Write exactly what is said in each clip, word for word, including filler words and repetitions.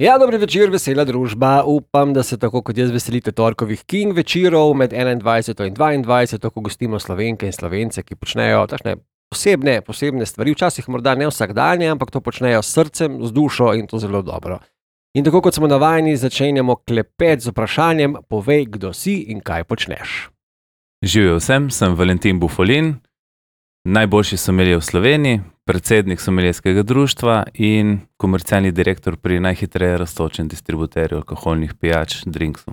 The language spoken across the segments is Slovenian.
Ja, dober večer, vesela družba. Upam, da se tako kot jaz veselite torkovih King večerov med enaindvajseto in dvaindvajseto, ko gostimo Slovenke in Slovence, ki počnejo takšne posebne, posebne stvari. Včasih morda ne vsakdanje, ampak to počnejo s srcem, z dušo in to zelo dobro. In tako kot smo navajeni, začenjamo klepet z vprašanjem: povej, kdo si in kaj počneš. Živijo vsem, sem Valentin Bufolin, najboljši sommelier v Sloveniji, predsednik sommelierskega društva in komercialni direktor pri najhitreje rastočem distributerju alkoholnih pijač Drinksu.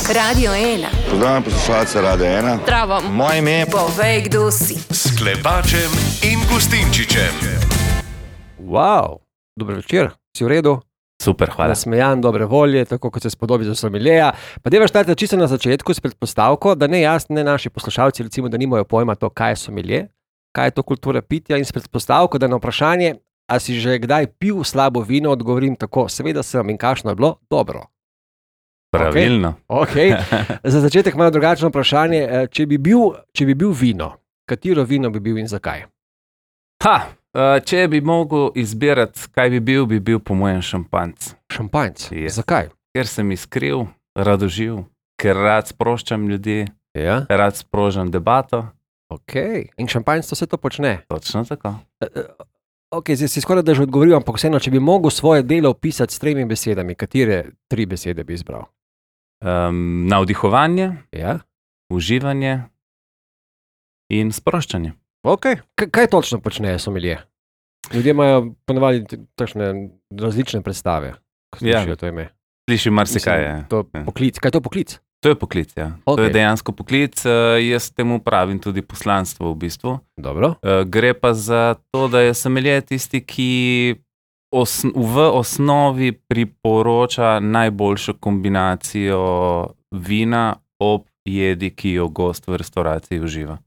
Radio ena. Pozdravljam poslušalce Radio ena. Zdravo. Moje ime je... Povej, kdo si. S Klepačem in Gustinčičem. Wow, dober večer, si v redu? Super, hvala. Nasmejan, dobre volje, tako kot se spodobi za sommelierja. Pa deva štarte čisto na začetku s predpostavko, da ne jaz, ne naši poslušalci, recimo, da nimajo pojma to, kaj je sommelier, kaj je to kultura pitja, in s predpostavko, da na vprašanje, a si že kdaj pil slabo vino, odgovorim tako: seveda sem, in kakšno je bilo? Dobro. Pravilno. Okay. Okay. Za začetek malo drugačno vprašanje, če bi bil, če bi bil vino, katero vino bi bil in zakaj? Ha, če bi mogel izbirati, kaj bi bil, bi bil po mojem šampanjc. Šampanjc? Yes. Zakaj? Ker sem iskriv, radoživ, ker rad sproščam ljudi, Ja. rad sprožam debato. Ok, in šampanjc to se to počne. Točno tako. Ok, zdaj si skoraj da že odgovoril, ampak vseeno, če bi mogel svoje delo opisati s tremi besedami, katere tri besede bi izbral? Um, navdihovanje, Ja. uživanje in sproščanje. Ok, K- kaj točno počne sommelier? Ljudje imajo ponavadi t- takšne različne predstave, ko slišijo Ja. to ime. Sliši marsikaj. Mislim, je. To Ja. poklic. Kaj je to poklic? To je poklic, ja. To Okej. je dejansko poklic, uh, jaz temu pravim tudi poslanstvo v bistvu. Dobro. Uh, gre pa za to, da je sommelier tisti, ki osn v osnovi priporoča najboljšo kombinacijo vina ob jedi, ki jo gost v restavraciji uživa.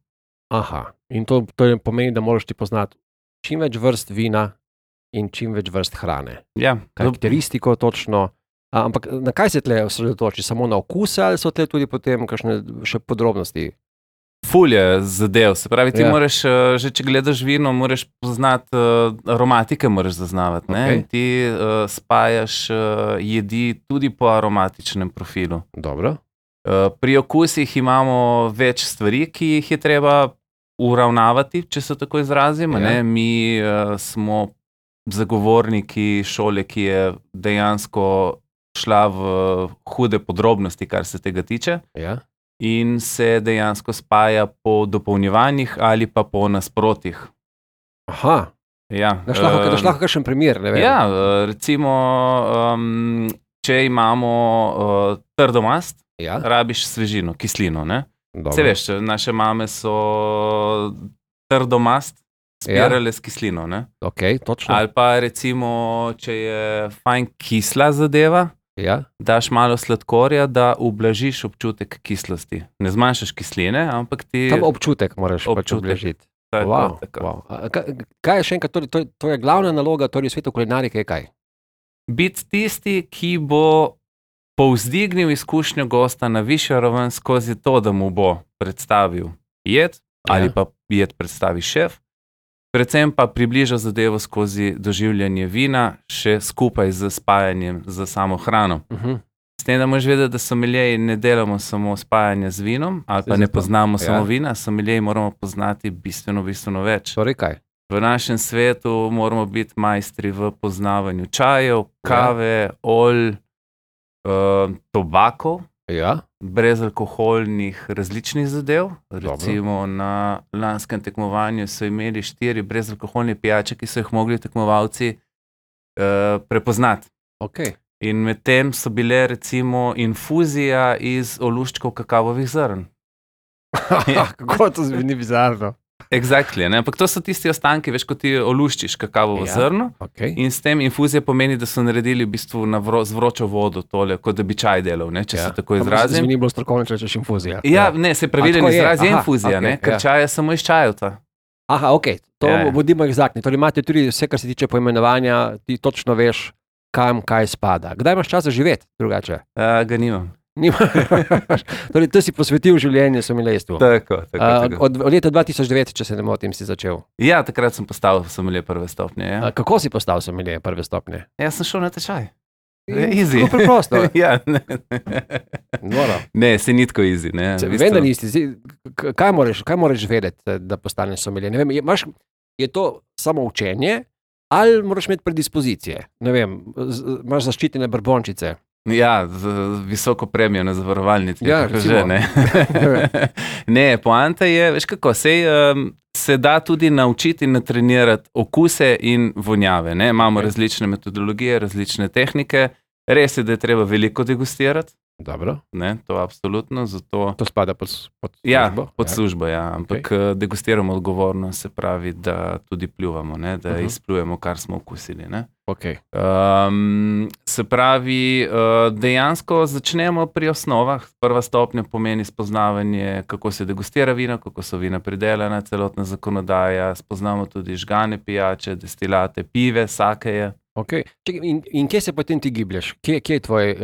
Aha, in to, to pomeni, da moraš ti poznati čim več vrst vina in čim več vrst hrane. Ja, Karakteristiko točno. A, ampak na kaj se tle osredotoči? Samo na okuse ali so tle tudi potem kakšne še podrobnosti? ful je zadev. Se pravi, ti Ja. moraš, uh, že če gledaš vino, moraš poznati uh, aromatike, moraš zaznavati. Ne? Okej. In ti uh, spajaš uh, jedi tudi po aromatičnem profilu. Dobro. Uh, pri okusih imamo več stvari, ki jih je treba uravnavati, če se tako izrazim. Ja. Ne? Mi uh, smo zagovorniki šole, ki je dejansko šla v hude podrobnosti, kar se tega tiče, Ja. in se dejansko spaja po dopolnjevanjih ali pa po nasprotjih. Aha, Ja, daš lahko, eh, daš lahko kakšen primer, ne vem. Ja, eh, recimo, um, če imamo uh, trdo mast, Ja, rabiš svežino, kislino. Ne? dobro. Se veš, naše mame so trdo mast spirale s kislino. Ne? Ok, točno. Ali pa recimo, če je fajn kisla zadeva, Ja, daš malo sladkorja, da ublažiš občutek kislosti. Ne zmanjšaš kisline, ampak ti... tam občutek moraš pač Občutek. obležiti. Tako, Wow, tako. wow. A, ka- kaj je še enkrat, torej, to, to je glavna naloga, torej v svetu kulinarike je kaj? Biti tisti, ki bo povzdignil izkušnjo gosta na višjo raven skozi to, da mu bo predstavil jed, ali Ja. pa jed predstavi šef, predvsem pa približa zadevo skozi doživljanje vina, še skupaj z spajanjem z samo hrano. Uh -huh. S tem, da moraš vedeti, da sommelierji ne delamo samo spajanja z vinom, ali pa ne zato. poznamo Ja. samo vina, sommelierji moramo poznati bistveno, bistveno več. Torej kaj? V našem svetu moramo biti majstri v poznavanju čajev, kave, olj, uh, tobakov, Ja, brezalkoholnih različnih zadev. Recimo na lanskem tekmovanju so imeli štiri brezalkoholne pijače, ki so jih mogli tekmovalci uh, prepoznati. ok. In medtem so bile recimo infuzija iz oluščkov kakavovih zrn. Ja. Kako to zveni bizarno? Exactly, ne? Ampak to so tisti ostanki, veš, ko ti oluščiš kakavovo Ja. zrno. Okay. In s tem infuzija pomeni, da so naredili v bistvu na vro, z vročo vodo tole, kot da bi čaj delal, ne, če Ja. se tako izrazim. Zveni bolj strokovno, če rečeš infuzija. Ja, ne, se pravilen tako je, izraz je aha, infuzija, okej, ne, ker ja. čaj je samo iz čajevca. Aha, ok, to Ja, ja. bodimo egzaktni. Torej imate tudi vse, kar se tiče poimenovanja, ti točno veš, kam kaj spada. Kdaj imaš čas za živeti drugače? Uh, ga nimam. Nima. Torej, to si posvetil življenje sommelierstvu. Tako, tako, Uh, tako. od od leta dva tisoč devet, če se ne motim, si začel. Ja, takrat sem postal sommelier prve stopnje. Ja. Uh, kako si postal sommelier prve stopnje? Jaz sem šel na tečaj. Easy. Tako preprosto. Ja, ne, Noro. ne, se ni tako easy. Ne. Se, V bistvu- vem, da nisi. Zdaj, k- Kaj moraš, kaj moraš vedeti, da postaneš sommelier? Ne vem, je, imaš, je to samo učenje ali moraš imeti predispozicije? Ne vem, z, imaš zaščitene brbončice. Ja, z, z visoko premijo na zavarovalnici. Ja, kako že, recimo. ne. ne, poanta je, veš kako, sej, um, se da tudi naučiti in natrenirati okuse in vonjave. Ne? Imamo Ok. različne metodologije, različne tehnike. Res je, da je treba veliko degustirati, Dobro, ne? To absolutno, zato to spada pod, s- pod ja, službo. pod službo, ja. Ampak okay. degustiramo odgovorno, se pravi, da tudi pljuvamo, ne? Da Mhm. uh-huh. izplujemo, kar smo okusili. Ne? Okay. Um, se pravi, uh, dejansko začnemo pri osnovah. Prva stopnja pomeni spoznavanje, kako se degustira vino, kako so vina pridelana, celotna zakonodaja. Spoznamo tudi žgane pijače, destilate, pive, sakeje. Okay. Čekaj, in, in kje se potem ti giblješ? Kje, kje je tvoj uh,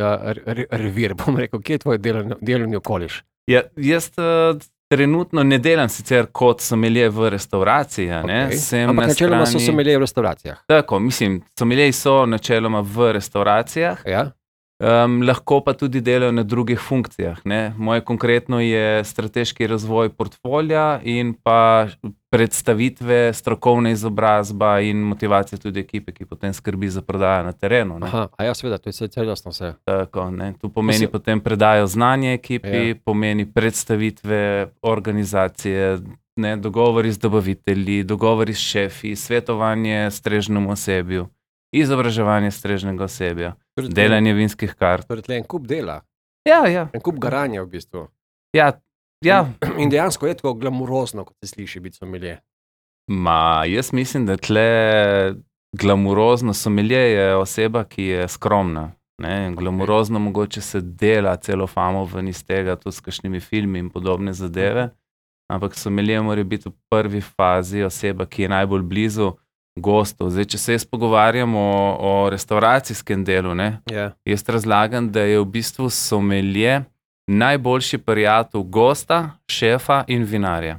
re, revir, bom rekel, kje je tvoj delovni, delovni okoliš? Ja, jaz uh, trenutno ne delam sicer kot sommelier v restavraciji, a ne. Okay. Sem Ampak na načeloma so strani- sommelier v restauracijah. Tako, mislim, sommelieri so načeloma v restauracijah. Ja? Um, lahko pa tudi delajo na drugih funkcijah. Ne? Moje konkretno je strateški razvoj portfolja in pa predstavitve, strokovna izobrazba in motivacija tudi ekipe, ki potem skrbi za prodajo na terenu. Ne? Aha, a ja, seveda, to je vse celostno vse. Tako, ne? Tu pomeni Mislim- potem predajo znanja ekipi, Ja. ja. pomeni predstavitve, organizacije, ne? Dogovori z dobavitelji, dogovori s šefi, svetovanje strežnemu osebju, izobraževanje strežnega osebja, Torej, tle- delanje vinskih kart. Torej, tle en kup dela, Ja, ja. en kup garanja v bistvu. Ja, ja. In dejansko je tako glamurozno, kot se sliši biti sommelier. Ma, jaz mislim, da tle glamurozno sommelier je oseba, ki je skromna. Ne? Glamurozno mogoče se dela celo famo ven iz tega, tudi s kakšnimi filmi in podobne zadeve, ampak sommelier mora biti v prvi fazi oseba, ki je najbolj blizu gostov. Zdaj, če se jaz pogovarjam o, o restauracijskem delu, ne? Ja. Jaz razlagam, da je v bistvu sommelier najboljši prijatelj gosta, šefa in vinarja.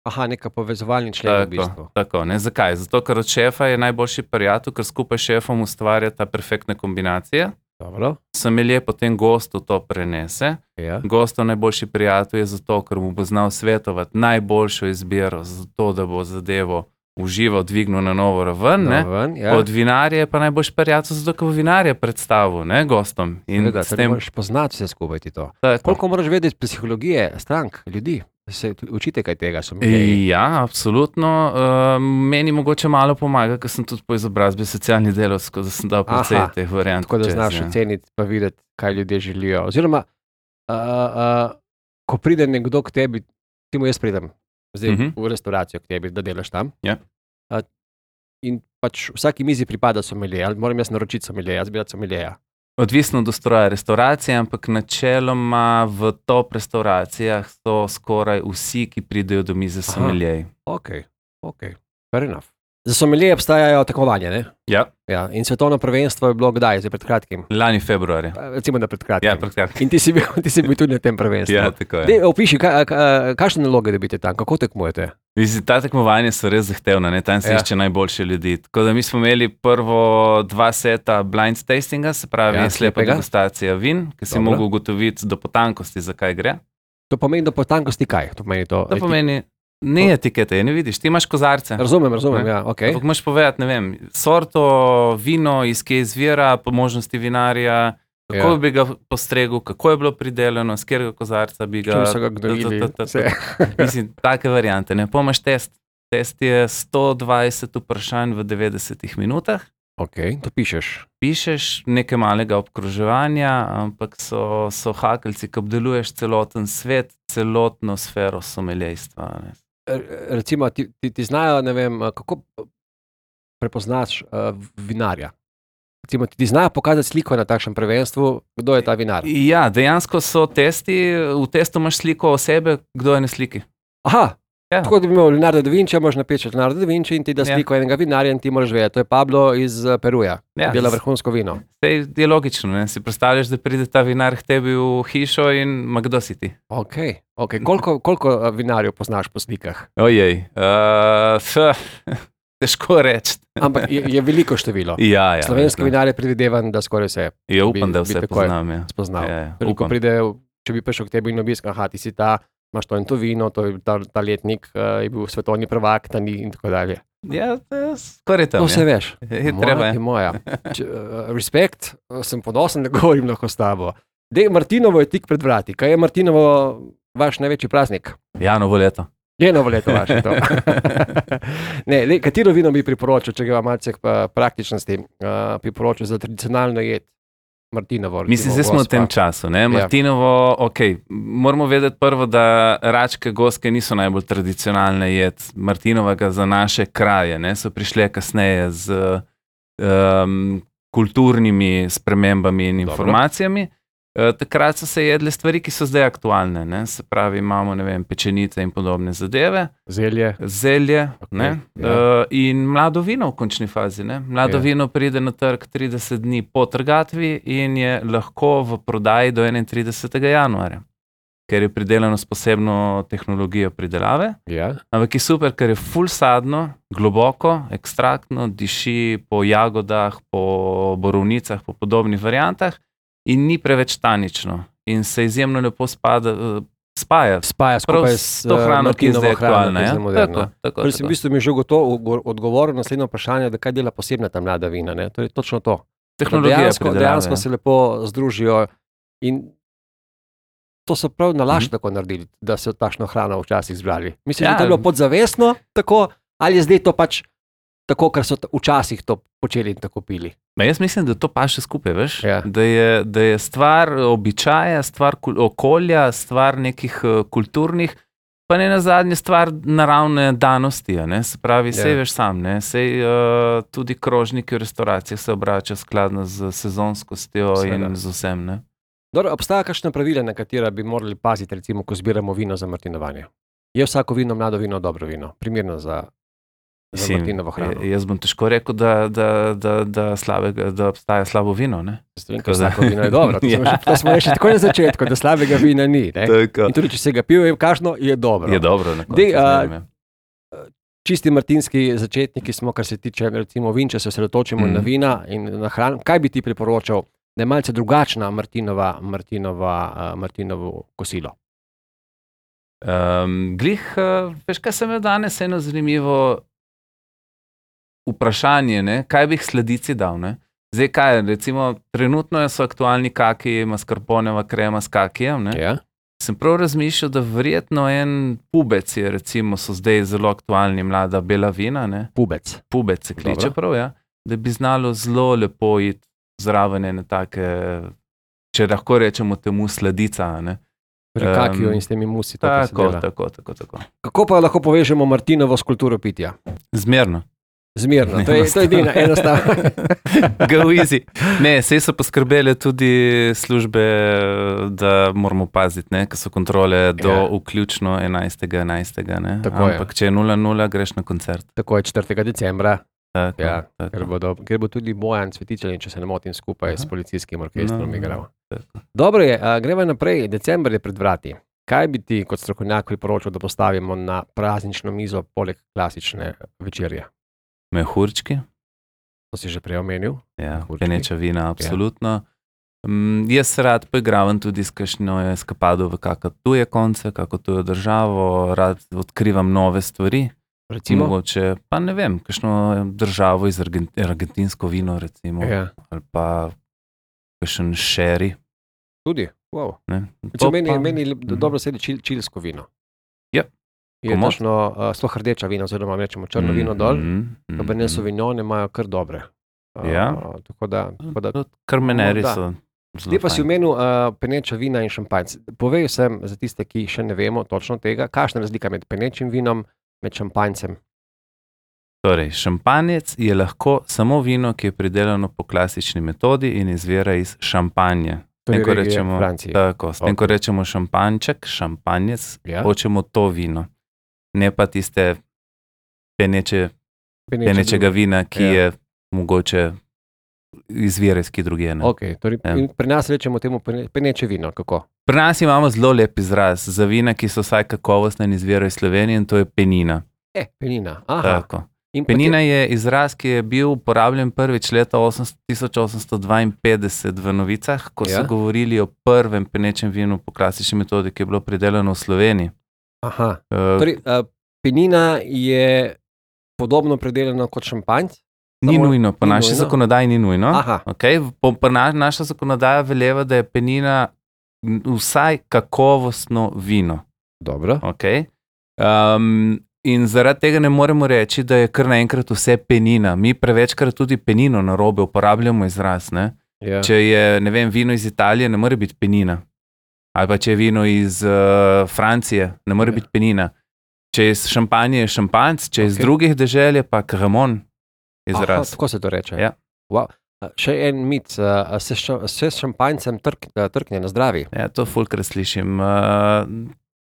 Aha, neka povezovalni člen v bistvu. Tako, tako, ne? Zakaj? Zato, ker od šefa je najboljši prijatelj, ker skupaj s šefom ustvarja ta perfektna kombinacija. Dobro. Sommelier potem gostu to prenese. Ja. Gostov najboljši prijatelj je zato, ker mu bo znal svetovati najboljšo izbiro, zato da bo zadevo užival, dvignil na novo raven. Ne? No, ven, ja. Od vinarja je pa najboljši prijatelj, zato ker bo vinarja predstavil, ne, gostom. In Seveda, s torej tem, moraš poznati vse skupaj ti to. tako. Koliko moraš vedeti psihologije strank, ljudi? Se učite kaj tega, sommelierji? Ja, absolutno. Uh, meni mogoče malo pomaga, ker sem tudi po izobrazbi socialni delavec, tako da sem dal precej Aha, teh variant. Tako da čez, znaš ja. oceniti pa videti, kaj ljudje želijo. Oziroma, uh, uh, ko pride nekdo k tebi, ti mu jaz pridem zdaj Mhm. v restauracijo k tebi, da delaš tam. Ja. Uh, in pač vsaki mizi pripada sommelier, ali moram jaz naročiti sommelier, jaz bi rad sommelierja. Odvisno od ustroja restauracije, ampak načeloma v top restauracijah so skoraj vsi, ki pridejo do mize sommelierji. Ok, ok, fair enough. Za sommelierje obstajajo tekmovanja, ne? Ja, Ja, in svetovno prvenstvo je bilo kdaj, zdaj pred kratkim? lani februarja. Recimo, da pred kratkim. Ja, prekratko. In ti si bil, ti si bil tudi na tem prvenstvu. Ja, tako je. Dej, opiši, ka, ka, kakšne naloge dobite tam, kako tekmujete? Mislim, ta tekmovanja so res zahtevna, ne? Tam se Ja. ja. išče najboljše ljudi. Tako da mi smo imeli prvo dva seta blind tastinga, se pravi Ja, ja, slepa slepega. degustacija vin, ki si Dobro. mogel ugotoviti do potankosti, zakaj gre. To pomeni do potankosti kaj? To pomeni to. To pomeni, ni etikete, ne vidiš, ti imaš kozarce. Razumem, razumem, Ne. ja, ok. Ampak moraš povedati, ne vem, sorto, vino, iz kje izvira, po možnosti vinarja, kako Ja. ja. bi ga postregel, kako je bilo pridelano, z katerega kozarca bi ga. Čim so ga gnojili, ta- ta- ta- ta- vse. Mislim, take variante. Ne, pomaš test. Test je sto dvajset vprašanj v devetdesetih minutah. Ok, to pišeš. Pišeš nekaj malega obkroževanja, ampak so, so hakeljci, ki obdeluješ celoten svet, celotno sfero someljejstva. Ne. R- Recimo, ti, ti, ti znajo, ne vem, kako prepoznaš uh, vinarja. Recimo, ti, ti znajo pokazati sliko na takšnem prvenstvu, kdo je ta vinar. Ja, dejansko so testi, v testu imaš sliko osebe, kdo je na sliki. Aha, Ja. tako da bi imel Leonardo da Vinci, moraš napisati Leonardo da Vinci in ti da Ja. sliko enega vinarja in ti moraš vedeti, to je Pablo iz eh, Peruja, Ja. dela vrhunsko vino. Sej je logično, ne? Si predstavljaš, da pride ta vinar k tebi v hišo in ma kdo si ti? Ok, ok. Koliko, koliko eh, vinarjev poznaš po slikah? Ojej. Uh, težko reči. Ampak je, je veliko število. Ja, ja, Slovenski ja. vinar je predvidevan, da skoraj vse Ja, upam, bi- da bi vse takoj poznam. Ja. spoznal. Ja, ja, Torej, ko upam. pride, če bi prišel k tebi in obisk, aha, ti si ta, imaš to in to vino, to je ta, ta letnik, uh, je bil svetovni prvak, ta ni in tako dalje. Ja, to je skoraj tam. To vse ja. veš. Je Moja treba, ja. je moja. Če, uh, respekt, uh, sem ponosen, da govorim lahko s tabo. Dej, Martinovo je tik pred vrati. Kaj je Martinovo vaš največji praznik? Ja, novo leto. Je novo leto vaše to. ne, dej, katero vino bi priporočil, če ga malce k pa- praktičnosti, uh, priporočil za tradicionalno jed? Martinovo. Mislim, zdaj smo v tem času. Ne? Martinovo, ok, moramo vedeti prvo, da račke, goske niso najbolj tradicionalne jed Martinovega za naše kraje. Ne? So prišle kasneje z um, kulturnimi spremembami in Dobro. informacijami. Uh, takrat so se jedle stvari, ki so zdaj aktualne. Ne? Se pravi, imamo ne vem, pečenice in podobne zadeve. Zelje. Zelje Okej, okay, ja. uh, in mlado vino v končni fazi. Ne? Mlado Ja. vino pride na trg trideset dni po trgatvi in je lahko v prodaji do enaintridesetega januarja, ker je pridelano s posebno tehnologijo pridelave. Ja. Ampak je super, ker je ful sadno, globoko, ekstraktno, diši po jagodah, po borovnicah, po podobnih variantah in ni preveč tanično in se izjemno lepo spada, uh, spaja. Spaja Prav skupaj s s to hrano, ki je Martinovo zdaj hrano, aktualna. ki je Ja? zdaj moderna. Tako, tako, Torej, sem v tako. bistvu mi že gotovo odgovoril na naslednje vprašanje, da kaj dela posebna ta mlada vina. Ne? To je točno to. Da Tehnologija dejansko, pridelave, dejansko ja. se lepo združijo in to so prav nalašč Mhm. tako naredili, da so takšno hrano včasih zbrali. Mislim, Ja. da je to bilo podzavestno tako, ali je zdaj to pač tako, ker so t- včasih to počeli in tako pili. Ma jaz mislim, da to paše skupaj, veš? Ja. Da, je, da je stvar običaja, stvar kul- okolja, stvar nekih uh, kulturnih, pa ne na zadnje stvar naravne danosti. a Ne? Se pravi, Ja. sej veš sam, ne? Sej uh, tudi krožniki v restauracijah se obračajo skladno z sezonskostjo Seveda. in z vsem. Ne? Dobro, obstaja kakšna pravila, na katera bi morali paziti, recimo, ko zbiramo vino za martinovanje? Je vsako vino, mlado vino, dobro vino, primerno za, za Mislim, martinovo hrano? j- Jaz bom težko rekel, da, da, da, da, slabega, da obstaja slabo vino. Ne? Ker Tako da- vsako vino je dobro. To smo, Ja. že, to smo rekli tako na začetku, da slabega vina ni. Ne? Tako. In tudi, če se ga pil, je kakšno, je dobro. Je dobro. na koncu Dej, a, zmeraj, ja. Čisti martinski začetniki smo, kar se tiče recimo vin, če se osredotočimo Mhm. mm. na vina in na hrano. Kaj bi ti priporočal, da je malce drugačna Martinova, Martinova, uh, Martinovo kosilo? Um, glih, uh, veš, kaj sem imel danes, eno zanimivo vprašanje, ne? Kaj bi jih sladici dal. Ne? Zdaj, kaj, recimo, trenutno so aktualni kaki, mascarponeva krema s kakijem. Ne? Ja? Sem prav razmišljal, da verjetno en pubec je, recimo, so zdaj zelo aktualni mlada bela vina, ne? Pubec. Pubec se kliče Dobro. prav, ja? Da bi znalo zelo lepo iti zraven ene take, če lahko rečemo temu sladica. a Ne? Pri Em, kakiju in s temi musi. To, kar se Tako, dela. tako, tako, tako. Kako pa lahko povežemo Martinovo s kulturo pitja? Zmerno. Zmerno, to je, to je edina, enostavno. Go easy. Ne, sej so poskrbele tudi službe, da moramo paziti, ne, ker so kontrole do Ja. vključno enajstega enajstega. Ne. Tako je. Ampak če je nula nula, greš na koncert. Tako je četrtega decembra, Tako, ja, tako. ker, bodo, ker bo tudi Bojan Cvetičelin, če se ne motim, skupaj Aha. s policijskim orkestrom No, igral. tako. Dobro je, a, gremo naprej, december je pred vrati. Kaj bi ti kot strokovnjak priporočil, da postavimo na praznično mizo poleg klasične večerje? Mehurčki, To si že prej omenil. ja, Mehurčki. peneča vina, absolutno. Mm, jaz se rad poigravam tudi s kakšno eskapado v kakšno tuje konce, kako tujo državo, rad odkrivam nove stvari. Recimo, Mogoče, pa ne vem, kakšno državo iz Argent argentinsko vino, recimo, ja, ali pa kakšen šeri. tudi. Wow. Ne? Če To meni, pa- meni lep- Mhm. dobro sedi čil, čilsko vino. Ja. Je Komot. točno uh, sploh rdeča vina, oziroma rečemo črno vino dol. Cabernet Sauvignon imajo kar dobre. Uh, Ja. Tako da, tako da Karmeneri Morda. so. zelo Zdaj pa si fajn. omenil uh, peneča vina in šampanjc. Povej vsem, za tiste, ki še ne vemo točno tega, kakšna je razlika med penečim vinom, med šampanjcem. Torej, šampanjec je lahko samo vino, ki je pridelano po klasični metodi in izvira iz šampanje. S tem, ko regije rečemo, v Franciji. tako, s tem, ko Ok. rečemo šampanjček, šampanjec, Ja. hočemo to vino, ne pa tiste peneče, Peneče penečega vina, ki Ja. je mogoče izvira iz kje drugje. ne. Okay, torej, Ja. in pri nas rečemo temu pene- peneče vino. Kako? Pri nas imamo zelo lep izraz za vina, ki so vsaj kakovostne in izvirajo iz Slovenije, in to je penina. E, penina. Aha, Tako. In Penina je izraz, ki je bil uporabljen prvič leta tisoč osemsto dvainpetdeset v novicah, ko so Ja. govorili o prvem penečem vinu po klasični metodi, ki je bilo pridelano v Sloveniji. Aha. Uh, Torej, uh, penina je podobno predelana kot šampanjc. Ni samo- nujno, po ni naši nujno? zakonodaji ni nujno. Aha, Okay? Po, po na, naša zakonodaja veleva, da je penina m, vsaj kakovostno vino. dobro. Okay? Um, in zaradi tega ne moremo reči, da je kar naenkrat vse penina. Mi prevečkrat tudi penino na robe uporabljamo izraz. Ne? Ja. Če je ne vem, vino iz Italije, ne more biti penina. Ali pa če je vino iz uh, Francije, ne more Ja. biti penina. Če je iz Šampanije, je šampanjc, če je iz Okej. drugih dežel, je pa kramon Aha, izraz. tako se to reče. Ja. Wow. A, še en mit, a, a se, ša, se s šampanjcem trk, a, trkne na zdravi. Ja, to fulkrat slišim. Uh,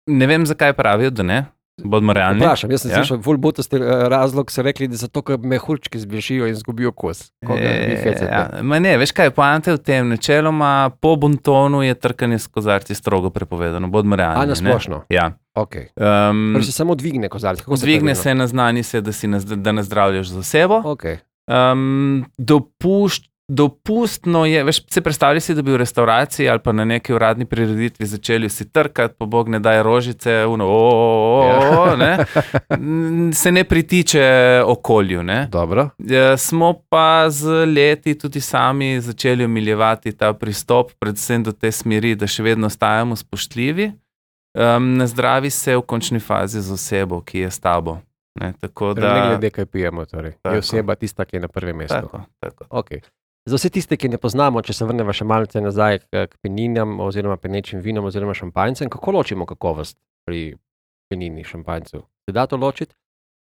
ne vem, zakaj pravijo, da ne. Bodimo realni. Vprašam, jaz sem Ja. ja. slišal, ful butasti razlog, so rekli, da zato, ker mehurčki zbežijo in zgubijo kos. Koga vi hecate? ja, ma ne, veš kaj, poanta je v tem, načeloma po bontonu je trkanje s kozarci strogo prepovedano, bodimo realni. A na ne. splošno? Ja. Okay. Um, Torej se samo dvigne kozarec. Kako Dvigne se se, naznani se, da, si naz, da nazdravljaš za osebo. Okay. Um, dopušč, dopustno je, veš, se predstavljaj si, da bi v restavraciji ali pa na neki uradni prireditvi začeli vsi trkati, pa bog ne daj rožice, uno, o, o, o, o, ne, N- se ne pritiče okolju, ne. Dobro. Ja, smo pa z leti tudi sami začeli omiljevati ta pristop, predvsem do te smeri, da še vedno ostajamo spoštljivi. Um, nazdravi se v končni fazi z osebo, ki je s tabo. Ne, tako Torej, ne da, glede, kaj pijemo. Torej. Tako. Je oseba tista, ki je na prvem mestu. tako, tako. Okay. Za vse tiste, ki ne poznamo, če se vrnemo še malce nazaj k, k peninam, oziroma penečim vinom, oziroma šampanjcem, kako ločimo kakovost pri penini šampanjcu? Se da to ločiti?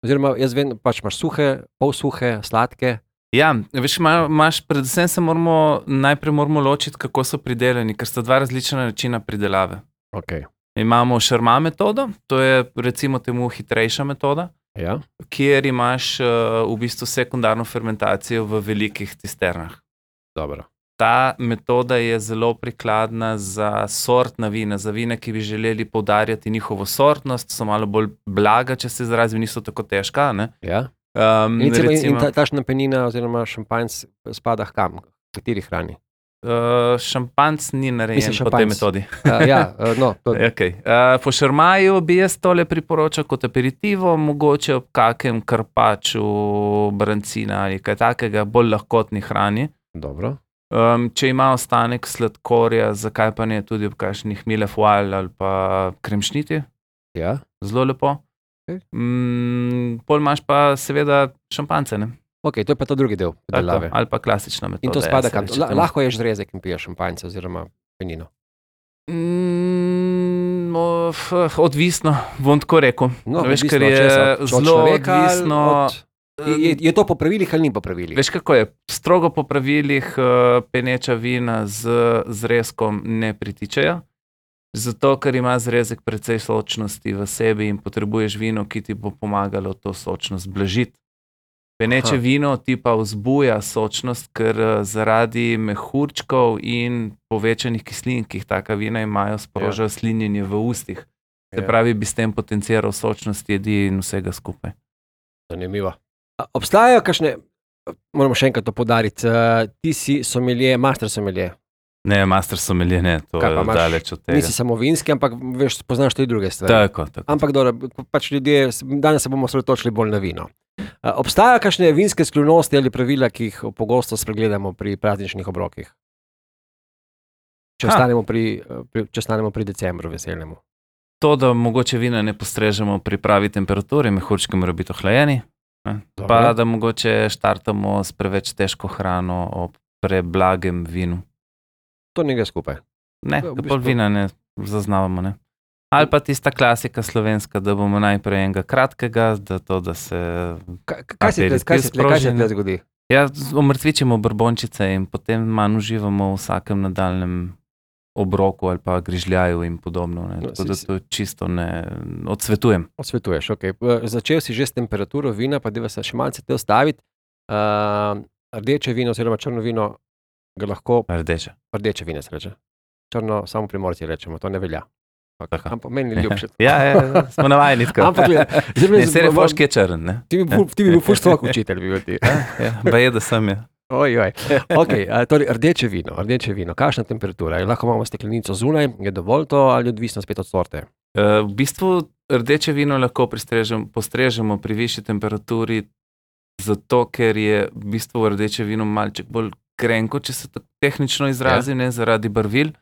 Oziroma, jaz vem, pač imaš suhe, pol suhe, sladke. Ja, veš, ima- imaš, predvsem se moramo, najprej moramo ločiti, kako so pridelani, ker sta dva različna načina pridelave. Okay. Imamo šarma metodo, to je recimo temu hitrejša metoda, Ja. kjer imaš uh, v bistvu sekundarno fermentacijo v velikih cisternah. Dobro. Ta metoda je zelo prikladna za sortna vina, za vina, ki bi želeli poudarjati njihovo sortnost, so malo bolj blaga, če se izrazim, niso tako težka. Ne? Ja. Um, In, recimo, in recimo, ta, tašna penina oziroma šampanjc spada h kam? V kateri hrani? uh, šampanc ni narejen Mislim, po tej šampanjc. metodi. Uh, ja, uh, no, to, Okay. Uh, po šarmaju bi jaz tole priporočal kot aperitivo, mogoče ob kakem karpaču, brancina ali kaj takega, bolj lahkotni hrani. dobro. Um, če ima ostanek sladkorja, zakaj pa ne tudi ob kakšnih milefoil ali pa kremšniti, Ja. zelo lepo. Okej. Mm, pol imaš pa seveda šampance, ne? Ok, to je pa ta drugi del Tako, predelave. ali pa klasična metoda. In to ja, spada se kam? reče La, temu. lahko ješ zrezek in piješ šampanjce oziroma penino. Mm, o, f- odvisno, bom tako rekel. No, Veš, odvisno ker od je česa? Od zelo človeka ali odvisno. od- Je, je, je to po pravilih ali ni po pravilih? Veš, kako je? Strogo po pravilih uh, peneča vina z zrezkom ne pritičejo, zato ker ima zrezek precej sočnosti v sebi in potrebuješ vino, ki ti bo pomagalo to sočnost blažiti. Peneče Aha. vino ti pa vzbuja sočnost, ker uh, zaradi mehurčkov in povečanih kislin, ki jih taka vina imajo, sprožajo slinjenje v ustih. Se Ja. pravi, bi s tem potenciral sočnost jedi in vsega skupaj. Zanimivo. A, obstajajo kakšne, moramo še enkrat to podariti, uh, ti si sommelier, master sommelier. Ne, master sommelier, ne, to Kaj pa je imaš? daleč od tega. Nisi samo vinski, ampak veš, poznaš tudi druge stvari. Tako, tako. Ampak dobro, pač ljudje, danes se bomo osredotočili bolj na vino. Uh, obstajajo kakšne vinske skrivnosti ali pravila, ki jih pogosto spregledamo pri prazničnih obrokih? Če Ha. ostanemo pri, uh, pri, če ostanemo pri decembru veselnemu. To, da mogoče vina ne postrežemo pri pravi temperaturi, mehurčki morajo biti ohlajeni, ne? Dobro. Pa da mogoče štartamo s preveč težko hrano ob preblagem vinu. To ne gre skupaj. Ne, V da bistvu- pol vina ne zaznavamo. Ne? Ali pa tista klasika slovenska, da bomo najprej enega kratkega, da to, da se Kaj, kaj se tle- kaj se tle- kaj se sproži, tle ne? zgodi? ja, z- omrtvičimo brbončice in potem manj uživamo v vsakem nadaljem obroku ali pa grižljaju in podobno. Ne? No, Tako si- da si- to čisto ne odsvetujem. Odsvetuješ, ok. Začel si že s temperaturo vina, pa deva se še malce te ostaviti. Uh, rdeče vino oziroma črno vino ga lahko, Rdeče. rdeče vino se reče. Črno samo primorci rečemo, to ne velja. Okay. Ampak meni je ljubše. Ja, ja, smo navajeni tako. Ampak, gledaj, zdaj me Ne, se je zbo- foški je črn, ne? Ti bi bil, ti bi bil ful stok učitelj, bi bil ti. Ja, ba je, da sem je. Oj, oj. Okay, a, torej, rdeče vino, rdeče vino, kakšna temperatura? Je lahko imamo steklenico zunaj, je dovolj to ali odvisno spet od sorte? Uh, v bistvu rdeče vino lahko pristrežem, postrežemo pri višji temperaturi, zato ker je v bistvu rdeče vino malček bolj grenko, če se tako tehnično izrazi, ja. ne, zaradi barvil,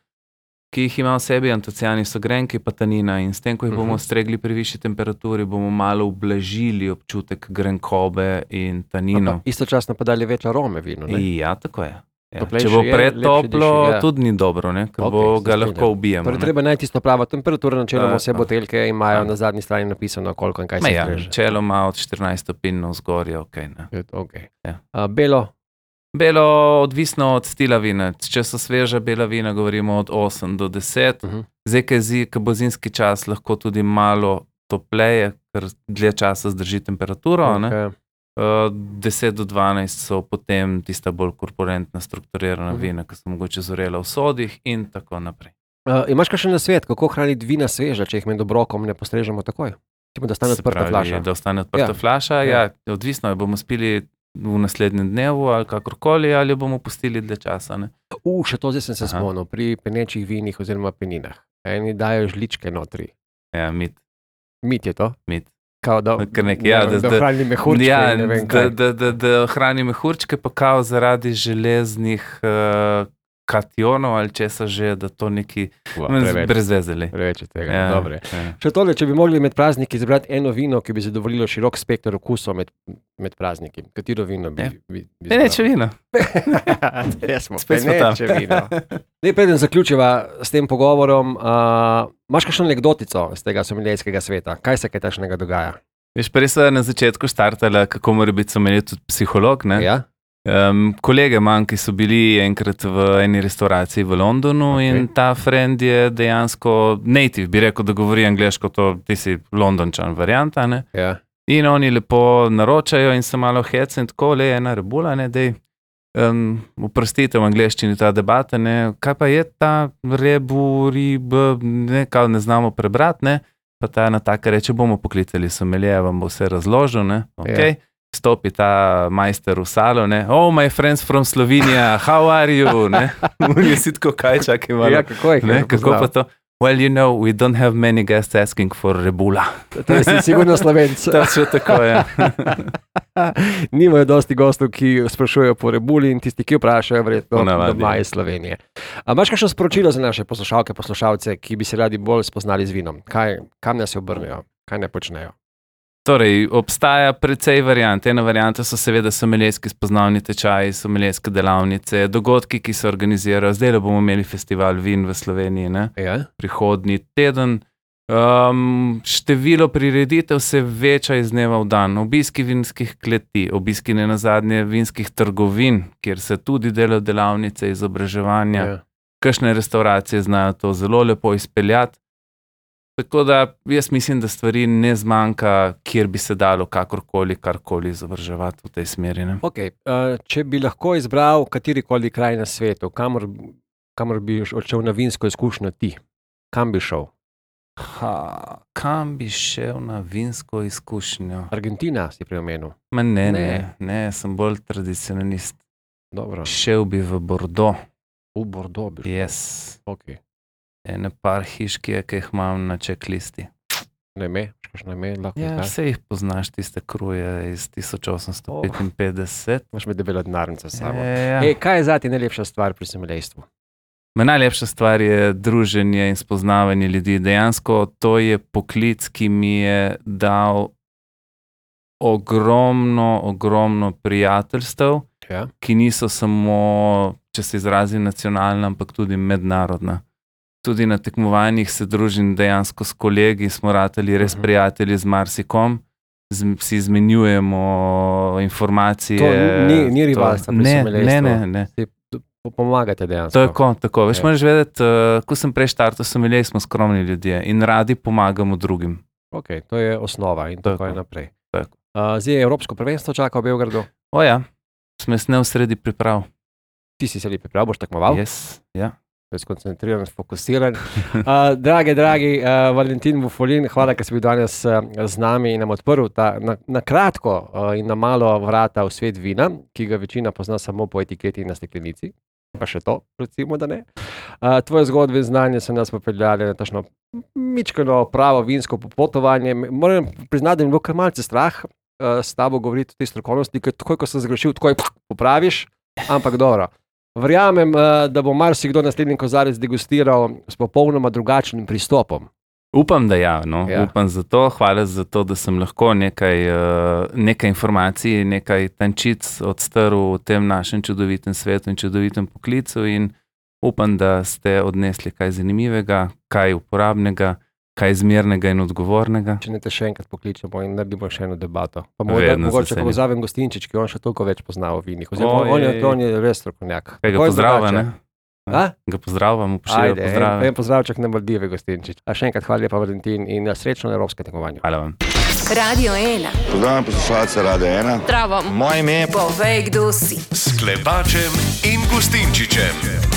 ki jih ima v sebi, antocijani so grenki, pa tanina, in s tem, ko jih bomo Mhm. stregli pri višji temperaturi, bomo malo ublažili občutek grenkobe in taninov. Pa istočasno pa dali več arome vinu, ne? Ja, tako je. Ja. Toplejše Če bo je, pretoplo, lepše diši, ja. tudi ni dobro, ne? Ker Okej, bo se ga strinjam. lahko ubijemo. Torej, ne. treba najti tisto pravo temperaturo, načeloma Tako. vse buteljke imajo Tako. na zadnji strani napisano, koliko in kaj Ma se ja, streže. načeloma od štirinajst stopinj navzgor je okej, ne. Je to okej. Ja. A, belo, Belo, odvisno od stila vina. Če so sveža bela vina, govorimo od osem do deset. Mhm. Zdaj, ko je zi- ko bo zimski čas, lahko tudi malo topleje, ker dlje časa zdrži temperaturo. ne. okej. Uh, deset do dvanajst so potem tista bolj korpulentna, strukturirana Mhm. vina, ki so mogoče zorela v sodih in tako naprej. A, imaš kakšen nasvet, kako hraniti vina sveža, če jih med obrokom ne postrežemo takoj? Tipo, da stane Se odprta pravi, flaša. Da ostane odprta Ja. flaša, Ja. ja, odvisno je, bomo spili v naslednjem dnevu ali kakorkoli, ali jo bomo pustili dlje časa. Ne? U, še to zdaj sem se Aha. spomnil, pri penečih vinih oziroma peninah. Eni dajo žličke notri. Ja, mit, Mit je to? mit. Kao, da, Kar nekaj, ja, da, da- da hrani mehurčke Ja, in ne vem da, kaj. da, da, da hrani mehurčke, pa kao zaradi železnih uh, kationov ali česa že, da to neki Ua, preveč, brez vezeli. preveč je tega. Ja, Dobre. ja. Še tole, če bi mogli med prazniki izbrati eno vino, ki bi zadovoljilo širok spekter okusov med, med prazniki. Katero vino bi, Ja. bi, bi Peneče vino. Res smo, Spet smo tam. peneče vino. Zdaj, preden zaključiva s tem pogovorom, uh, imaš kakšno anekdotico z tega someljejskega sveta? Kaj se kaj takšnega dogaja? Veš, prej so na začetku štartala, kako mora biti sommelier tudi psiholog. Ne? Ja? Um, kolege manj, ki so bili enkrat v eni restauraciji v Londonu Okej. okay. in ta friend je dejansko native, bi rekel, da govori angleško, to ti si Londončan varianta. Ne? Ja. In oni lepo naročajo in se malo hecen in tako, le ena rebula, ne, dej. Um, oprostite v angleščini ta debata, ne, kaj pa je ta rebu, rib, ne, kao ne znamo prebrati, ne, pa ta ena taka reče, bomo poklicali sommelier, vam bo vse razložil, ne, ok. Ja. Stopi ta majster v salo, ne, oh, my friends from Slovenija, how are you, ne, oni si tako kaj čakaj malo, Ja, kako je? ne, kako pa to, well, you know, we don't have many guests asking for rebula. To je si sigurno Slovenc. To je tako, ja. Nimajo dosti gostov, ki sprašujejo po rebuli in tisti, ki vprašajo, verjetno Ponavadi. doma iz Slovenije. A imaš kakšno sporočilo za naše poslušalke, poslušalce, ki bi se radi bolj spoznali z vinom? Kaj, kam nas se obrnejo? Kaj ne počnejo? Torej, obstaja precej variant. Ena varianta so seveda sommelijski spoznavni tečaji, sommelijske delavnice, dogodki, ki se organizirajo. Zdaj bomo imeli festival vin v Sloveniji, ne? Ja? Prihodnji teden. Um, število prireditev se veča iz dneva v dan. Obiski vinskih kleti, obiski ne nazadnje vinskih trgovin, kjer se tudi delajo delavnice, izobraževanja. Ja. Kakšne restauracije znajo to zelo lepo izpeljati. Tako da jaz mislim, da stvari ne zmanjka, kjer bi se dalo kakorkoli, karkoli izobraževati v tej smeri. Ne? Okay. Uh, če bi lahko izbral katerikoli kraj na svetu, kamor, kamor bi odšel na vinsko izkušnjo ti, kam bi šel? Ha, kam bi šel na vinsko izkušnjo? Argentina si pri omenu. Ma ne, Ne. ne, ne, sem bolj tradicionalist. Dobro. Šel bi v Bordeaux, V Bordeaux bi šel. yes. Okay. Ene par hiš, ki je, ki jih imam na čeklisti. Ne me, kakšno ime lahko Ja, znaš? vse jih poznaš, tiste kruje iz tisoč osemsto petinpetdeset. Imaš med debelo denarnico s sabo. E, ja. Ej, kaj je zati najlepša stvar pri someljejstvu? Ma najlepša stvar je druženje in spoznavanje ljudi. Dejansko to je poklic, ki mi je dal ogromno, ogromno prijateljstev, Ja? ki niso samo, če se izrazim, nacionalna, ampak tudi mednarodna. Tudi na tekmovanjih se družim dejansko s kolegi, smo ratali res Mhm. prijatelji z marsikom, z, si izmenjujemo informacije. To ni- ni to- rivalstva pri Ne, someljejstvu. ne, ne, ne. Si po- pomagate dejansko. Tako, tako. Veš, Ja. moraš vedeti, uh, ko sem prej štartal, sommelier smo skromni ljudje in radi pomagamo drugim. Okay, to je osnova in tako, Tako. je naprej. Tako. Uh, zdaj je Evropsko prvenstvo čaka v Beogradu. O ja, smo se ne v sredi priprav. Ti si se li pripravil, boš tekmoval? Yes, ja. je skoncentriran, fokusiran. Uh, dragi, dragi uh, Valentin Vufolin, hvala, ker si bil danes uh, z nami in nam odprl ta, na, na kratko uh, in na malo vrata v svet vina, ki ga večina pozna samo po etiketi in na steklenici. Pa še to, recimo, da ne. Uh, tvoje zgodbe in znanje so nas popeljali na tašno mičkano pravo vinsko popotovanje. Moram priznati, da mi je bilo kar malce strah uh, s tabo govoriti o tej strokovnosti, ker takoj, ko sem zagrešil, takoj popraviš, ampak dobro. Verjamem, uh, da bo marsikdo naslednji kozarec degustiral s popolnoma drugačnim pristopom. Upam, da ja, no. Ja. Upam za to. Hvala za to, da sem lahko nekaj, uh, nekaj informacij, nekaj tančic odstrl v tem našem čudovitem svetu in čudovitem poklicu in upam, da ste odnesli kaj zanimivega, kaj uporabnega, kaj zmernega in odgovornega. Če ne te še enkrat pokličemo in naredimo še eno debato. Pa morda, Vedno z mogoče, veseljem. ko pozavem Gostinčič, ki on še toliko več pozna o vinih. Oziroma, on, je, Oj. on je res strokovnjak. Kaj ga Kako je pozdravlja, drugače? ne? A? Ga pozdravljam, upošteva Ajde, en, pozdrave. en pozdravček na Maldive, Gostinčič. A še enkrat hvala lepa, Valentin, in srečno na evropskem tekmovanju. Hvala vam. Radio ena. Pozdravljam poslušalce Radia ena. Zdravo. Moje ime je Povej, kdo si. S Klepačem in Gustinčičem.